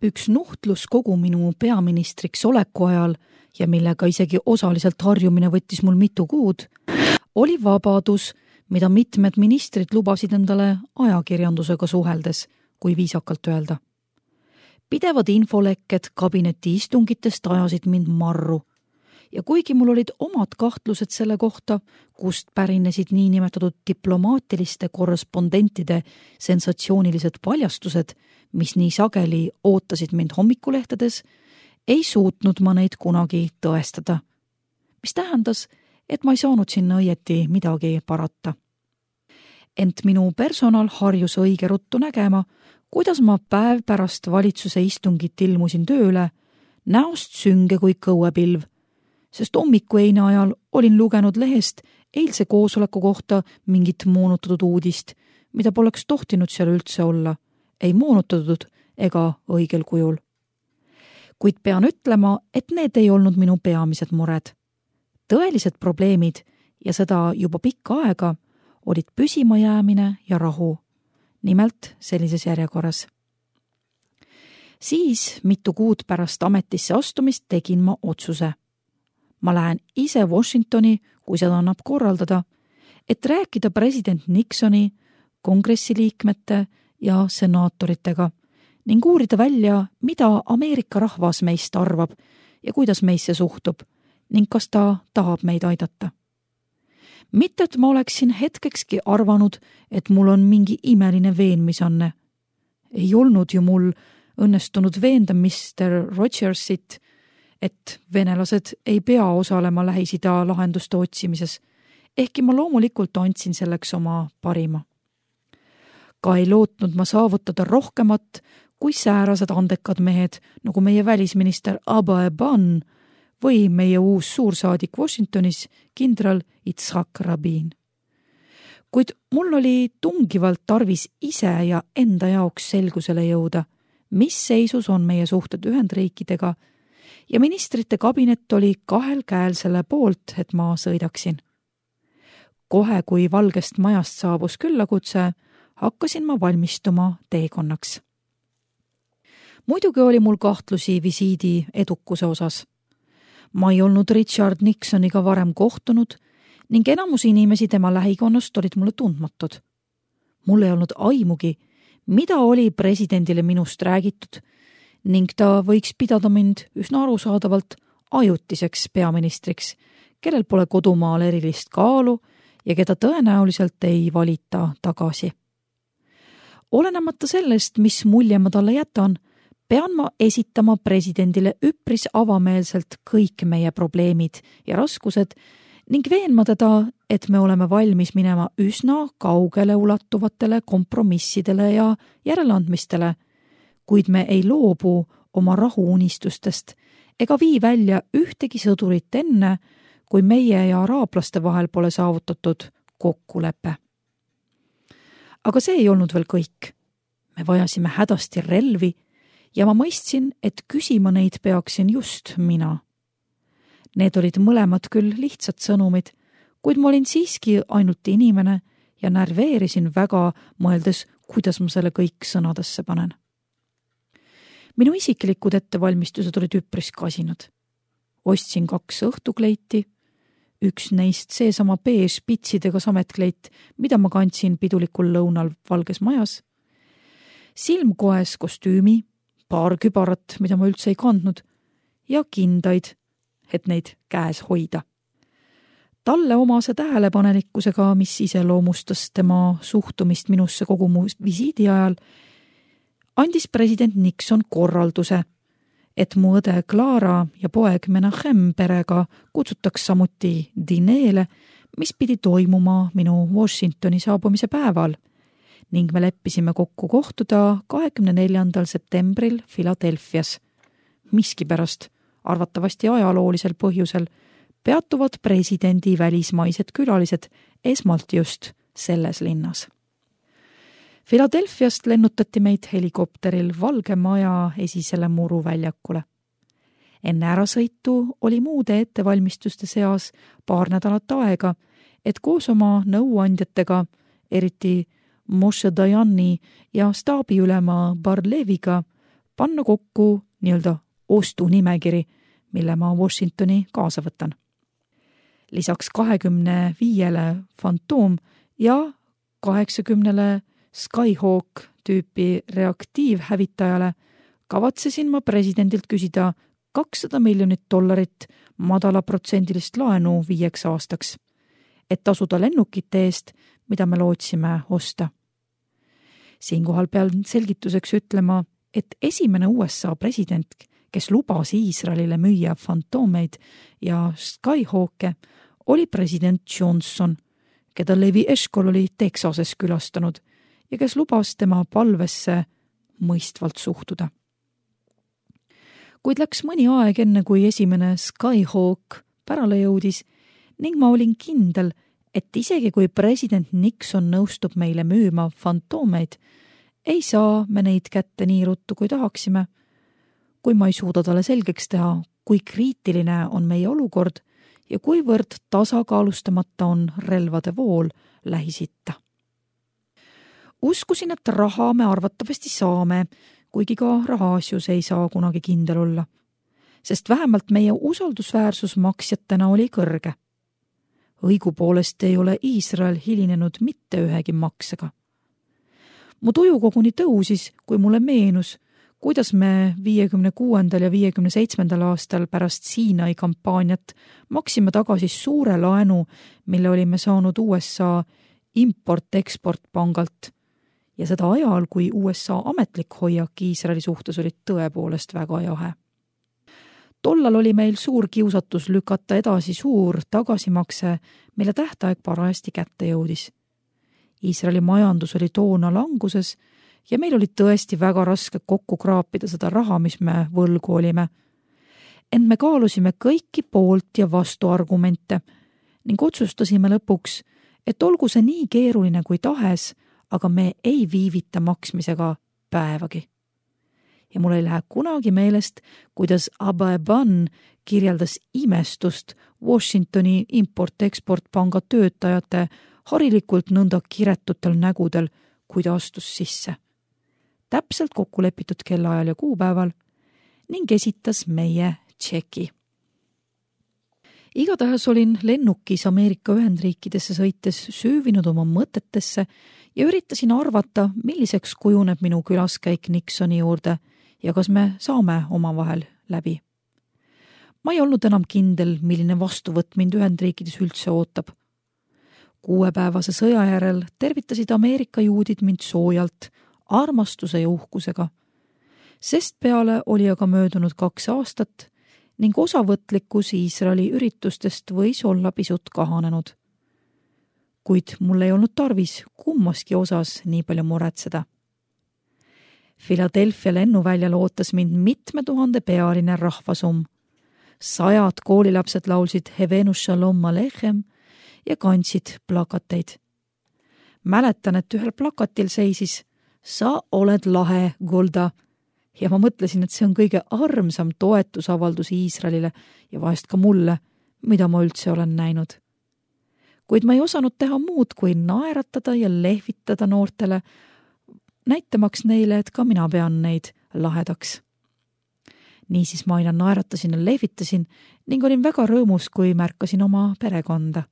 Üks nuhtlus kogu minu peaministriks oleku ajal ja millega isegi osaliselt harjumine võttis mul mitu kuud, oli vabadus, mida mitmed ministrid lubasid endale ajakirjandusega suheldes, kui viisakalt öelda. Pidevad infolekked kabineti istungitest ajasid mind marru ja kuigi mul olid omad kahtlused selle kohta, kust pärinesid niinimetatud diplomaatiliste korrespondentide sensatsioonilised paljastused, mis nii sageli ootasid mind hommikulehtedes, ei suutnud ma neid kunagi tõestada, mis tähendas, et ma ei saanud sinna õieti midagi parata. Ent minu personal harjus õige ruttu nägema, kuidas ma päev pärast valitsuse istungit ilmusin tööle, näost sünge kui kõuepilv, sest hommikueine ajal olin lugenud lehest eilse koosoleku kohta mingit moonutatud uudist, mida poleks tohtinud seal üldse olla, ei moonutatud ega õigel kujul. Kuid pean ütlema, et need ei olnud minu peamised mured. Tõelised probleemid, ja seda juba pikka aega, olid püsimajäämine ja rahu, nimelt sellises järjekorras. Siis mitu kuud pärast ametisse astumist tegin ma otsuse. Ma lähen ise Washingtoni, kui seda annab korraldada, et rääkida president Nixoni, kongressiliikmete ja senaatoritega ning uurida välja, mida Ameerika rahvas meist arvab ja kuidas meisse suhtub ning kas ta tahab meid aidata. Mitte, et ma oleksin hetkekski arvanud, et mul on mingi imeline veenmisanne. Ei olnud ju mul õnnestunud veenda Mr. Rogersit, et venelased ei pea osalema Lähis-Ida lahenduste otsimises, ehkki ma loomulikult andsin selleks oma parima. Ka ei lootnud ma saavutada rohkemat kui säärased andekad mehed, nagu meie välisminister Abba Eban või meie uus suursaadik Washingtonis, kindral Yitzhak Rabin. Kuid mul oli tungivalt tarvis ise ja enda jaoks selgusele jõuda, mis seisus on meie suhted Ühendriikidega, ja ministrite kabinet oli kahel käel selle poolt, et ma sõidaksin. Kohe, kui Valgest majast saabus küllakutse, hakkasin ma valmistuma teekonnaks. Muidugi oli mul kahtlusi visiidi edukuse osas. Ma ei olnud Richard Nixoniga varem kohtunud ning enamus inimesi tema lähikonnast olid mulle tundmatud. Mul ei olnud aimugi, mida oli presidendile minust räägitud ning ta võiks pidada mind üsna arusaadavalt ajutiseks peaministriks, kellel pole kodumaal erilist kaalu ja keda tõenäoliselt ei valita tagasi. Olenemata sellest, mis mulje ma talle jätan, pean ma esitama presidendile üpris avameelselt kõik meie probleemid ja raskused ning veenma teda, et me oleme valmis minema üsna kaugele ulatuvatele kompromissidele ja järeleandmistele, kuid me ei loobu oma rahuunistustest ega vii välja ühtegi sõdurit enne, kui meie ja araablaste vahel pole saavutatud kokkulepe. Aga see ei olnud veel kõik. Me vajasime hädasti relvi ja ma mõistsin, et küsima neid peaksin just mina. Need olid mõlemad küll lihtsad sõnumid, kuid ma olin siiski ainult inimene ja närveerisin väga, mõeldes, kuidas ma selle kõik sõnadesse panen. Minu isiklikud ettevalmistused olid üpris kasinad. Ostsin 2 õhtukleiti, üks neist seesama beež pitsidega sametkleit, mida ma kandsin pidulikul lõunal Valges majas, silmkoes kostüümi, paar kübarat, mida ma üldse ei kandnud, ja kindaid, et neid käes hoida. Talle omase tähelepanelikkusega, mis iseloomustas tema suhtumist minusse kogu mu visiidi ajal, andis president Nixon korralduse, et mu õde Clara ja poeg Menachem perega kutsutaks samuti dineele, mis pidi toimuma minu Washingtoni saabumise päeval ning me leppisime kokku kohtuda 24. septembril Philadelphias. Miskipärast, arvatavasti ajaloolisel põhjusel, peatuvad presidendi välismaised külalised esmalt just selles linnas. Philadelphiast lennutati meid helikopteril Valge maja esisele muruväljakule. Enne ärasõitu oli muude ettevalmistuste seas paar nädalat aega, et koos oma nõuandjatega, eriti Moshe Dayani ja staabiülema Barleviga, panna kokku nii-öelda ostunimekiri, mille ma Washingtoni kaasa võtan. Lisaks 25 Phantom ja 80 Skyhawk tüüpi reaktiivhävitajale kavatsesin ma presidendilt küsida $200 miljonit madalaprotsendilist laenu 5 aastaks, et tasuda lennukite eest, mida me lootsime osta. Siinkohal pean selgituseks ütlema, et esimene USA president, kes lubas Iisraelile müüa Phantomeid ja Skyhawke, oli president Johnson, keda Levi Eshkol oli Texases külastanud ja kes lubas tema palvesse mõistvalt suhtuda. Kuid läks mõni aeg enne, kui esimene Skyhawk pärale jõudis ning ma olin kindel, et isegi kui president Nixon nõustub meile müüma Phantomeid, ei saa me neid kätte nii ruttu, kui tahaksime, kui ma ei suuda talle selgeks teha, kui kriitiline on meie olukord ja kuivõrd tasakaalustamata on relvade vool Lähis-Itta. Uskusin, et raha me arvatavasti saame, kuigi ka rahaasjus ei saa kunagi kindel olla, sest vähemalt meie usaldusväärsus maksjatena oli kõrge. Õigupoolest ei ole Iisrael hilinenud mitte ühegi maksega. Mu tuju koguni tõusis, kui mulle meenus, kuidas me 56. ja 57. aastal pärast Siinai kampaaniat maksime tagasi suure laenu, mille olime saanud USA import-eksport pangalt ja seda ajal, kui USA ametlik hoiak Iisraeli suhtes oli tõepoolest väga jahe. Tollal oli meil suur kiusatus lükata edasi suur tagasimakse, mille tähtaeg parajasti kätte jõudis. Iisraeli majandus oli toona languses ja meil oli tõesti väga raske kokku kraapida seda raha, mis me võlgu olime. Ent me kaalusime kõiki poolt ja vastu argumente ning otsustasime lõpuks, et olgu see nii keeruline kui tahes, aga me ei viivita maksmisega päevagi. Ja mul ei lähe kunagi meelest, kuidas Abba Eban kirjeldas imestust Washingtoni import-eksport-panga töötajate harilikult nõnda kiretutel nägudel, kui ta astus sisse. Täpselt kokku lepitud kellaajal ja kuupäeval ning esitas meie tšeki. Igatahes olin lennukis Ameerika Ühendriikidesse sõites süüvinud oma mõtetesse ja üritasin arvata, milliseks kujuneb minu külaskäik Nixoni juurde ja kas me saame omavahel läbi. Ma ei olnud enam kindel, milline vastuvõtt mind Ühendriikides üldse ootab. 6-päevase sõja järel tervitasid Ameerika juudid mind soojalt, armastuse ja uhkusega, sest peale oli aga möödunud 2 aastat ning osavõtlikkus Iisraeli üritustest võis olla pisut kahanenud. Kuid mul ei olnud tarvis kummaski osas nii palju muretseda. Philadelphia lennuväljal ootas mind mitme tuhande pealine rahvasumm. 100 koolilapsed laulsid Hevenu Shalom Alechem ja kandsid plakateid. Mäletan, et ühel plakatil seisis "Sa oled lahe, Golda", ja ma mõtlesin, et see on kõige armsam toetusavaldus Iisraelile ja vahest ka mulle, mida ma üldse olen näinud. Kuid ma ei osanud teha muud, kui naeratada ja lehvitada noortele, näitamaks neile, et ka mina pean neid lahedaks. Niisiis ma aina naeratasin ja lehvitasin ning olin väga rõõmus, kui märkasin oma perekonda.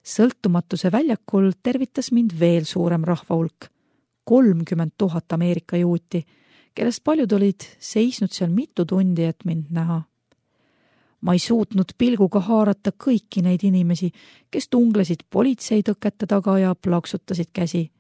Sõltumatuse väljakul tervitas mind veel suurem rahvahulk, 30 000 Ameerika juuti, kellest paljud olid seisnud seal mitu tundi, et mind näha. Ma ei suutnud pilguga haarata kõiki neid inimesi, kes tunglesid politseitõkete taga ja plaksutasid käsi.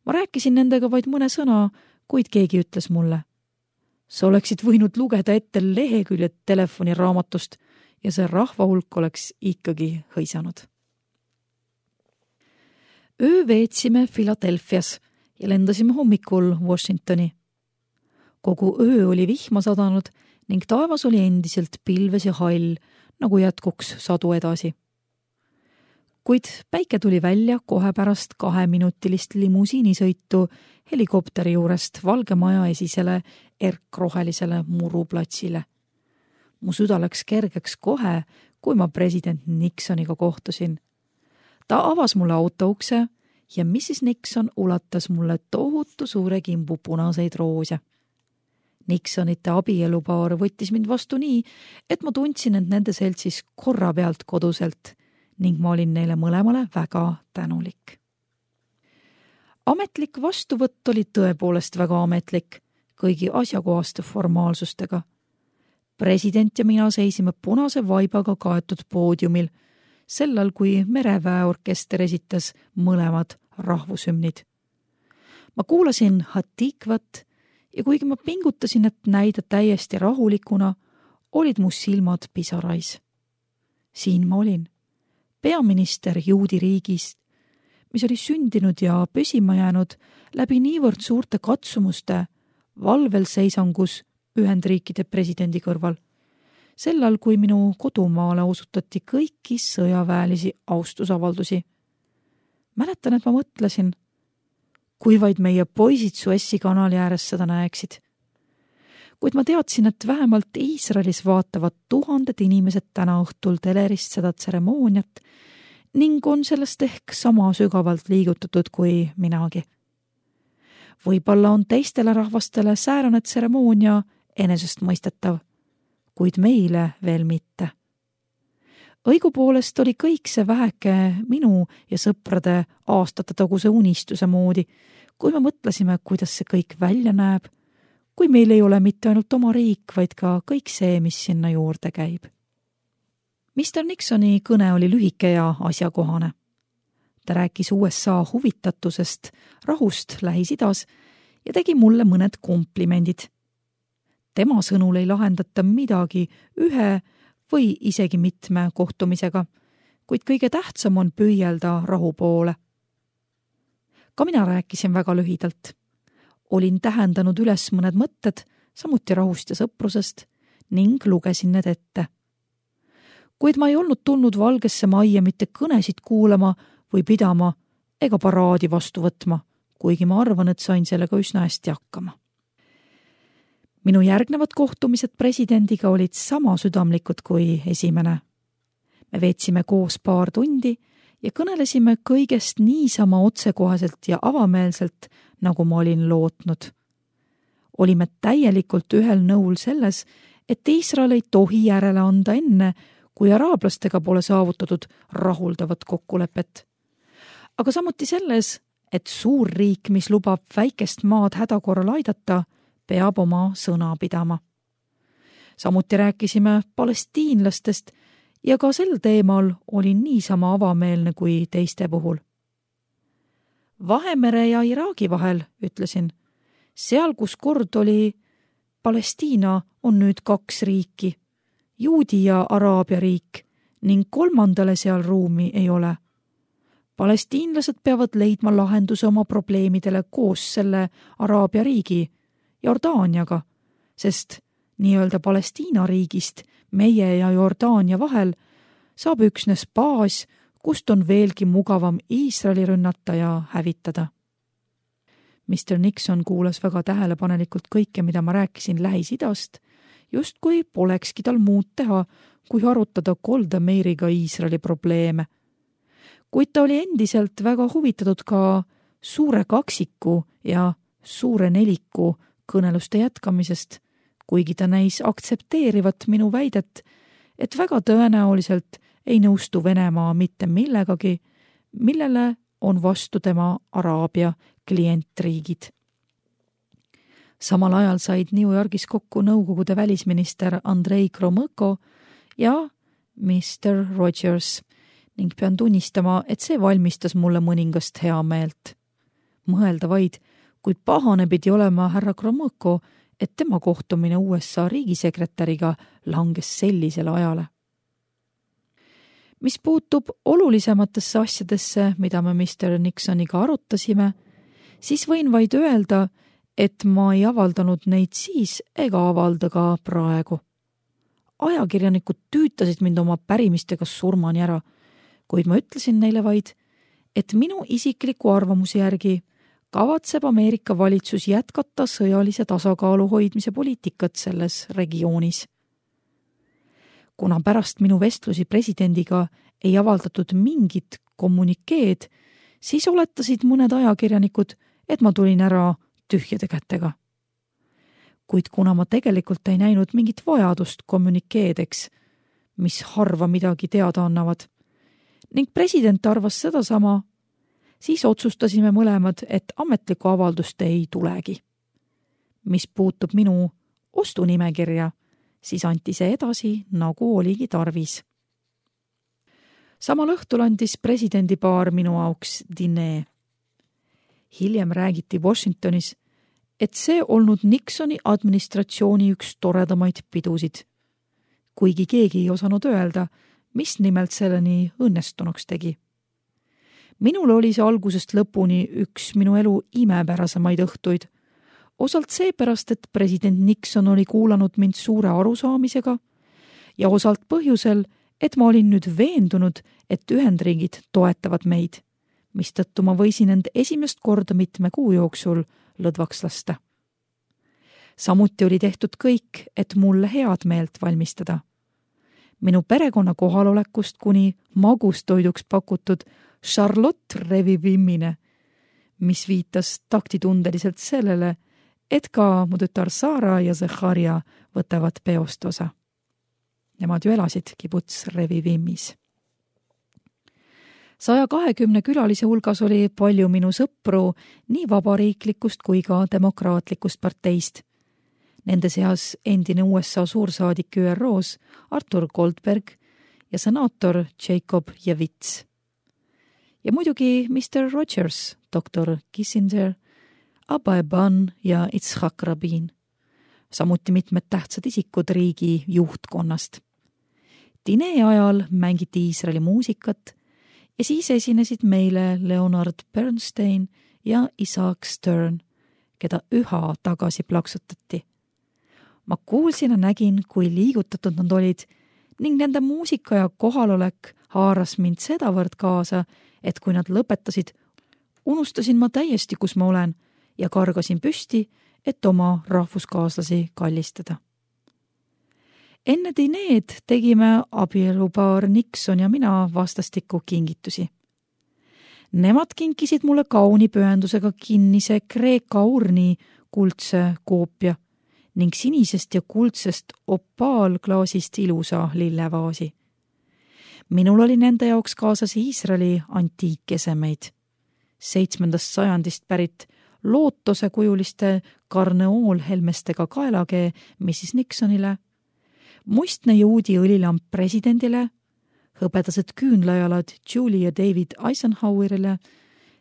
Ma rääkisin nendega vaid mõne sõna, kuid keegi ütles mulle: sa oleksid võinud lugeda ette leheküljed telefoniraamatust ja see rahvahulk oleks ikkagi hõisanud. Öö veetsime Philadelphias ja lendasime hommikul Washingtoni. Kogu öö oli vihma sadanud ning taevas oli endiselt pilves ja hall, nagu jätkuks sadu edasi. Kuid päike tuli välja kohe pärast 2-minutilist limusiinisõitu helikopteri juurest Valge Maja esisele erkrohelisele muruplatsile. Mu süda läks kergeks kohe, kui ma president Nixoniga kohtusin. Ta avas mulle autoukse ja Mrs. Nixon ulatas mulle tohutu suure kimbu punaseid roose. Nixonite abielupaar võttis mind vastu nii, et ma tundsin end nende seltsis korra pealt koduselt ning ma olin neile mõlemale väga tänulik. Ametlik vastuvõtt oli tõepoolest väga ametlik, kõigi asjakohaste formaalsustega. President ja mina seisime punase vaibaga kaetud poodiumil, sellal kui mereväeorkester esitas mõlemad rahvushümnid. Ma kuulasin Hatikvat ja kuigi ma pingutasin, et näida täiesti rahulikuna, olid mu silmad pisarais. Siin ma olin, peaminister juudi riigist, mis oli sündinud ja püsima jäänud läbi niivõrd suurte katsumuste valvel seisangus Ühendriikide presidendi kõrval, sellal kui minu kodumaale osutati kõiki sõjaväelisi austusavaldusi. Mäletan, et ma mõtlesin, kui vaid meie poisid Suessi kanali ääres seda näeksid. Kuid ma teadsin, et vähemalt Iisraelis vaatavad tuhanded inimesed täna õhtul telerist seda tseremooniat ning on sellest ehk sama sügavalt liigutatud kui minagi. Võib-olla on teistele rahvastele säärane tseremoonia enesestmõistetav, kuid meile veel mitte. Õigupoolest oli kõik see väheke minu ja sõprade aastate taguse unistuse moodi, kui me mõtlesime, kuidas see kõik välja näeb, kui meil ei ole mitte ainult oma riik, vaid ka kõik see, mis sinna juurde käib. Mr. Nixoni kõne oli lühike ja asjakohane. Ta rääkis USA huvitatusest, rahust Lähis-Idas ja tegi mulle mõned komplimendid. Tema sõnul ei lahendata midagi ühe või isegi mitme kohtumisega, kuid kõige tähtsam on püüelda rahu poole. Ka mina rääkisin väga lühidalt. Olin tähendanud üles mõned mõtted, samuti rahust ja sõprusest ning lugesin need ette. Kuid ma ei olnud tulnud Valgesse Majja mitte kõnesid kuulama või pidama ega paraadi vastu võtma, kuigi ma arvan, et sain sellega üsna hästi hakkama. Minu järgnevad kohtumised presidendiga olid sama südamlikud kui esimene. Me veetsime koos paar tundi ja kõnelesime kõigest niisama otsekohaselt ja avameelselt, nagu ma olin lootnud. Olime täielikult ühel nõul selles, et Iisrael ei tohi järele anda enne, kui araablastega pole saavutatud rahuldavat kokkulepet. Aga samuti selles, et suur riik, mis lubab väikest maad hädakorral aidata, peab oma sõna pidama. Samuti rääkisime palestiinlastest ja ka sel teemal olin niisama avameelne kui teiste puhul. Vahemere ja Iraagi vahel, ütlesin, seal, kus kord oli Palestiina, on nüüd 2 riiki, Juudi ja Araabia riik, ning kolmandale seal ruumi ei ole. Palestiinlased peavad leidma lahenduse oma probleemidele koos selle Araabia riigi, Jordaaniaga, sest nii-öelda Palestiina riigist meie ja Jordaania vahel saab üksnes baas, kust on veelgi mugavam Iisraeli rünnata ja hävitada. Mr. Nixon kuulas väga tähelepanelikult kõike, mida ma rääkisin Lähis-Idast, justkui polekski tal muud teha, kui arutada Golda Meiriga Iisraeli probleeme. Kuid ta oli endiselt väga huvitatud ka suure kaksiku ja suure neliku kõneluste jätkamisest, kuigi ta näis aktsepteerivat minu väidet, et väga tõenäoliselt ei nõustu Venemaa mitte millegagi, millele on vastu tema Araabia klientriigid. Samal ajal said New Yorgis kokku Nõukogude välisminister Andrei Gromõko ja Mr. Rogers ning pean tunnistama, et see valmistas mulle mõningast hea meelt. Mõelda vaid, kui pahane pidi olema härra Gromõko, et tema kohtumine USA riigisekretäriga langes sellisele ajale. Mis puutub olulisematesse asjadesse, mida me Mr. Nixoniga arutasime, siis võin vaid öelda, et ma ei avaldanud neid siis ega avalda ka praegu. Ajakirjanikud tüütasid mind oma pärimistega surmani ära, kuid ma ütlesin neile vaid, et minu isikliku arvamuse järgi kavatseb Ameerika valitsus jätkata sõjalise tasakaalu hoidmise poliitikat selles regioonis. Kuna pärast minu vestlusi presidendiga ei avaldatud mingit kommunikeed, siis oletasid mõned ajakirjanikud, et ma tulin ära tühjade kätega. kuid kuna ma tegelikult ei näinud mingit vajadust kommunikeedeks, mis harva midagi teada annavad, ning president arvas sedasama, siis otsustasime mõlemad, et ametlikku avaldust ei tulegi. Mis puutub minu ostunimekirja, siis anti see edasi, nagu oligi tarvis. Samal õhtul andis presidendipaar minu auks dinee. Hiljem räägiti Washingtonis, et see olnud Nixoni administratsiooni üks toredamaid pidusid, kuigi keegi ei osanud öelda, mis nimelt selleni õnnestunuks tegi. Minul oli see algusest lõpuni üks minu elu imepärasemaid õhtuid, osalt seepärast, et president Nixon oli kuulanud mind suure arusaamisega ja osalt põhjusel, et ma olin nüüd veendunud, et Ühendriigid toetavad meid, mistõttu ma võisin end esimest korda mitme kuu jooksul lõdvaks lasta. Samuti oli tehtud kõik, et mulle head meelt valmistada. Minu perekonna kohalolekust kuni magustoiduks pakutud Charlotte revivimmine, mis viitas taktitundeliselt sellele, et ka mu tütar Sara ja Zacharia võtavad peost osa. Nemad ju elasid kibuts Revivimmis. 120 külalise hulgas oli palju minu sõpru nii vabariiklikust kui ka demokraatlikust parteist. Nende seas endine USA suursaadik ÜROs Arthur Goldberg ja senaator Jacob Javits. Ja muidugi Mr. Rogers, Dr. Kissinger, Abba Eban ja Itzhak Rabin. Samuti mitmed tähtsad isikud riigi juhtkonnast. Dinee ajal mängiti Iisraeli muusikat ja siis esinesid meile Leonard Bernstein ja Isaac Stern, keda üha tagasi plaksutati. Ma kuulsin ja nägin, kui liigutatud nad olid ning nende muusika ja kohalolek haaras mind sedavõrd kaasa, et kui nad lõpetasid, unustasin ma täiesti, kus ma olen ja kargasin püsti, et oma rahvuskaaslasi kallistada. Enne dineed tegime abielupaar Nixon ja mina vastastikku kingitusi. Nemad kinkisid mulle kauni pühendusega kinnise Kreeka urni kuldse koopia ning sinisest ja kuldsest opaalklaasist ilusa lillevaasi. Minul oli nende jaoks kaasas Iisraeli antiikesemeid. 7. sajandist pärit lootose kujuliste karneoolhelmestega kaelakee Mrs. Nixonile, mustne juudi õlilamp presidendile, hõbedased küünlajalad Julie ja David Eisenhowerile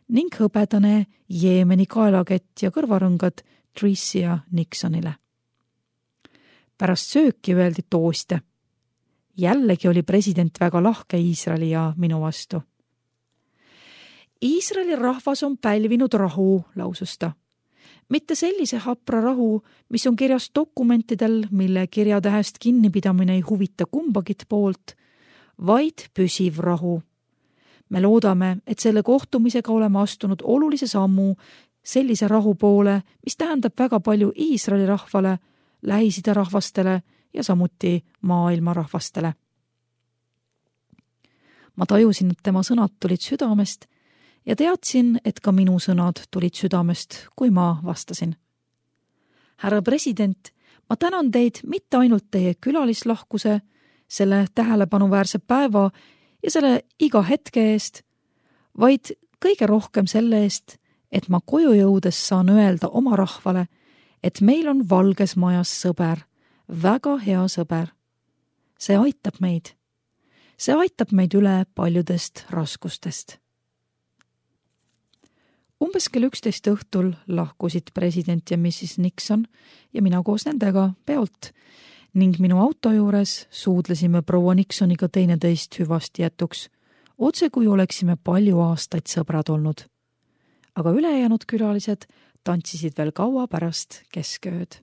ning hõbedane Jeemeni kaelakett ja kõrvarõngad Tricia Nixonile. Pärast sööki öeldi tooste. Jällegi oli president väga lahke Iisraeli ja minu vastu. Iisraeli rahvas on pälvinud rahu, lausus ta. Mitte sellise hapra rahu, mis on kirjas dokumentidel, mille kirjatähest kinnipidamine ei huvita kumbagit poolt, vaid püsiv rahu. Me loodame, et selle kohtumisega oleme astunud olulise sammu sellise rahu poole, mis tähendab väga palju Iisraeli rahvale, Lähis-Ida rahvastele ja samuti maailma rahvastele. Ma tajusin, et tema sõnad tulid südamest ja teadsin, et ka minu sõnad tulid südamest, kui ma vastasin. Härra president, ma tänan teid mitte ainult teie külalislahkuse, selle tähelepanuväärse päeva ja selle iga hetke eest, vaid kõige rohkem selle eest, et ma koju jõudes saan öelda oma rahvale, et meil on Valges Majas sõber, väga hea sõber. See aitab meid. See aitab meid üle paljudest raskustest. Umbes kell 11 õhtul lahkusid president ja Mrs. Nixon ja mina koos nendega peolt ning minu auto juures suudlesime proua Nixoniga teineteist hüvasti jätuks, otse kui oleksime palju aastaid sõbrad olnud. Aga ülejäänud külalised tantsisid veel kaua pärast keskööd.